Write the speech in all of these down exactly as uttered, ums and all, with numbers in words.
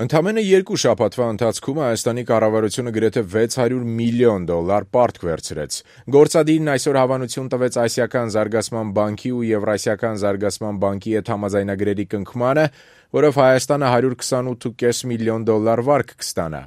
Ընդամենը երկու շաբաթվա ընթացքում Հայաստանի կառավարությունը գրեթե վեց հարյուր միլիոն դոլար պարտք վերցրեց։ Գործադիրն այսօր հավանություն տվեց Ասիական զարգացման բանկի ու Եվրասիական զարգացման բանկի հետ համաձայնագրերի կնքմանը, որով Հայաստանը հարյուր քսանութ կόμma պենս միլիոն դոլար վարկ կստանա։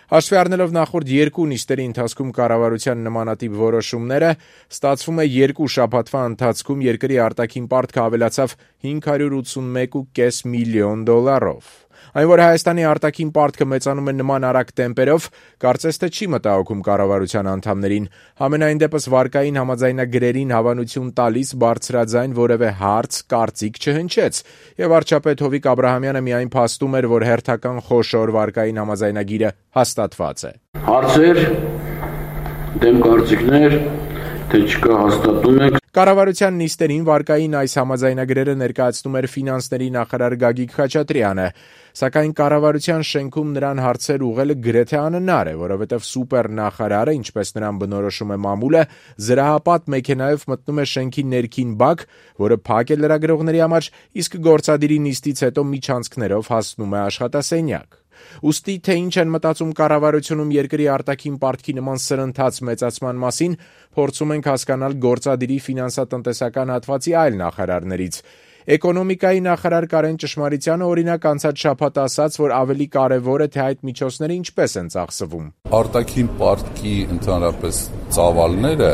Հաշվի առնելով նախորդ երկու նիստերի ընթացքում կառավարության նմանատիպ որոշումները, ստացվում է երկու շաբաթվա ընթացքում երկրի արտաքին պարտքը ավելացավ հինգ հարյուր ութսունմեկ կόμma պենս միլիոն դոլարով։ Այն, որ Հայաստանի արտաքին պարտքը մեծանում է նման արագ տեմպերով, կարծես թե չի մտահոգում կառավարության անդամներին։ Համենայն դեպս վարկային համաձայնագրերին հավանություն տալիս բարձրաձայն որևէ հարց, կարծիք չհնչեց, եւ վարչապետ Հովիկ Աբրահամյանը միայն փաստում էր, որ հերթական խոշոր վարկային համաձայնագիրը հաստատված է։ Հարցեր, դեմ կարծիքներ, թե չկա հաստատում եք։ Կառավարության նիստերին վարկային այս համաձայնագրերը ներկայացնում էր ֆինանսների նախարար Գագիկ Խաչատրյանը, սակայն կառավարության շենքում նրան հարցեր ուղղելը գրեթե անհնար է, որովհետև սուպեր նախարարը, ինչպես նրան բնորոշում է մամուլը, զրահապատ մեքենայով մտնում է շենքի ներքին բակ, որը փակ է լրագրողների համար, իսկ գործադիրի նիստից հետո միջանցքներով հասնում է աշխատասենյակ։ Ուստի թե ինչ են մտածում կառավարությունում երկրի արտաքին պարտքի նման սրընթաց մեծացման մասին, փորձում ենք հասկանալ գործադիրի ֆինանսատնտեսական հատվածի այլ նախարարներից։ Էկոնոմիկայի նախարար Կարեն Ճշմարիտյանը օրինակ անցած շաբաթ ասաց, որ ավելի կարևոր է, թե այդ միջոցները ինչպես են ծախսվում։ Արտաքին պարտքի ընդհանրապես ծավալները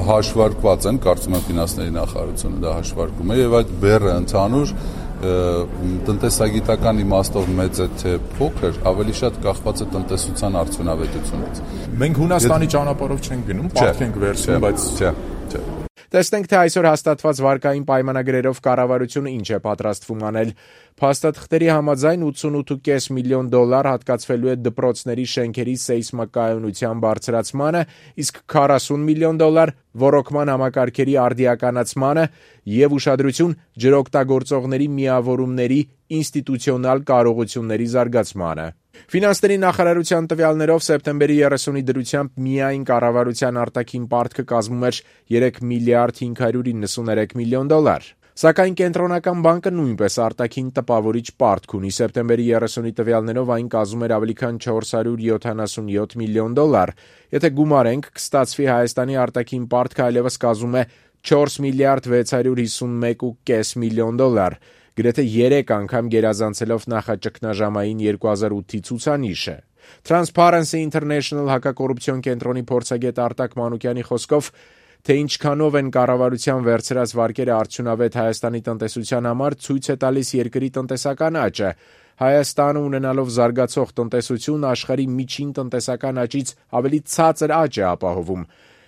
հաշվարկված են, կարծում եմ ֆինանսների նախարարությունը դա հաշվարկում է, եւ այդ բեռը ընդհանուր տնտեսագիտական իմաստով մեծ է թե փոքր, ավելի շատ կախված է տնտեսության արդյունավետությունից։ Մենք Հունաստանի ճանապարհով չենք գնում, պարտք ենք վերցնում, բայց չէ, չէ։ Տեսնենք, թե այսօր հաստատված վարկային պայմանագրերով կառավարությունը ինչ է պատրաստվում անել։ Փաստաթղթերի համաձայն ութսունութ կόμma պենս միլիոն դոլար հատկացվելու է դպրոցների շենքերի սեյսմակայունության բարձրացմանը, իսկ քառասուն միլիոն դոլար ոռոգման համակարգերի արդիականացմանը եւ ուշադրություն ջրօգտագործողների միավորումների ինստիտուցիոնալ կարողությունների զարգացմանը։ Ֆինանսների նախարարության տվյալներով սեպտեմբերի երեսունի դրությամբ միայն կառավարության արտաքին պարտքը կազմում էր երեք միլիարդ հինգ հարյուր իննսուներեք միլիոն դոլար։ Սակայն Կենտրոնական բանկը նույնպես արտաքին տպավորիչ պարտք ունի։ Սեպտեմբերի երեսունի տվյալներով այն կազմում էր ավելի քան չորս հարյուր յոթանասունյոթ միլիոն դոլար։ Եթե գումարենք, կստացվի Հայաստանի արտաքին պարտքը այլևս կազմում է չորս միլիարդ վեց հարյուր հիսունմեկ կόμma պենս միլիոն դոլար, գրեթե երեք անգամ գերազանցելով նախաճգնաժամային երկու հազար ութի ցուցանիշը։ Transparency International հակակոռուպցիոն կենտրոնի փորձագետ Արտակ Մանուկյանի խոսքով, թե ինչքանով են կառավարության վերցրած վարկերը արդյունավետ Հայաստանի տնտեսության համար, ցույց է տալիս երկրի տնտեսական աճը։ Հայաստանը ունենալով զարգացող տնտեսություն աշխարհի միջին տնտեսական աճից ավելի ցածր աճ է ապահովում։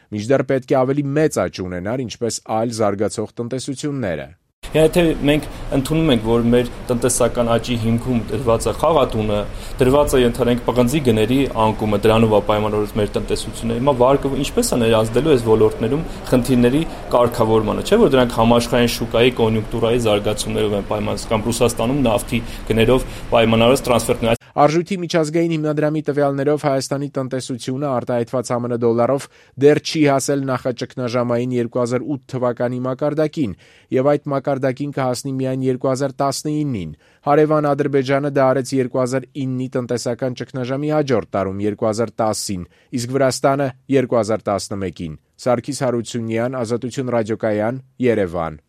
Մինչդեռ պետք է ավելի մեծ աճ ունենար, ինչպես այլ զարգացող տնտեսությունները։ Եթե մենք ընդունում ենք, որ մեր տնտեսական աճի հիմքում դրված է խաղատունը, դրված է ընդհանրենք պղնձի գների անկումը, դրանով է պայմանավորված մեր տնտեսությունը, հիմա վարկը ինչպես է ներազդելու այս ոլորտներում խնդիրների կարգավորմանը, չէ՞ որ դրանք համաշխարհային շուկայի կոնյունկտուրայի զարգացումներով են պայմանավորված, կամ Ռուսաստանում նավթի գներով պայմանավորված տրանսֆերներ։ Արժույթի միջազգային հիմնադրամի տվյալներով Հայաստանի տնտեսությունը արտահայտված ԱՄՆ դոլարով դեռ չի հասել նախաճգնաժամային երկու հազար ութ թվականի մակարդակին, եւ այդ մակարդակին կհասնի միայն երկու հազար տասնինին։ Հարևան Ադրբեջանը դա արեց երկու հազար իննի տնտեսական ճգնաժամի հաջորդ տարում երկու հազար տասին, իսկ Վրաստանը երկու հազար տասնմեկին։ Սարգիս Հարությունյան, Ազատություն ռադիոկայան, Երևան։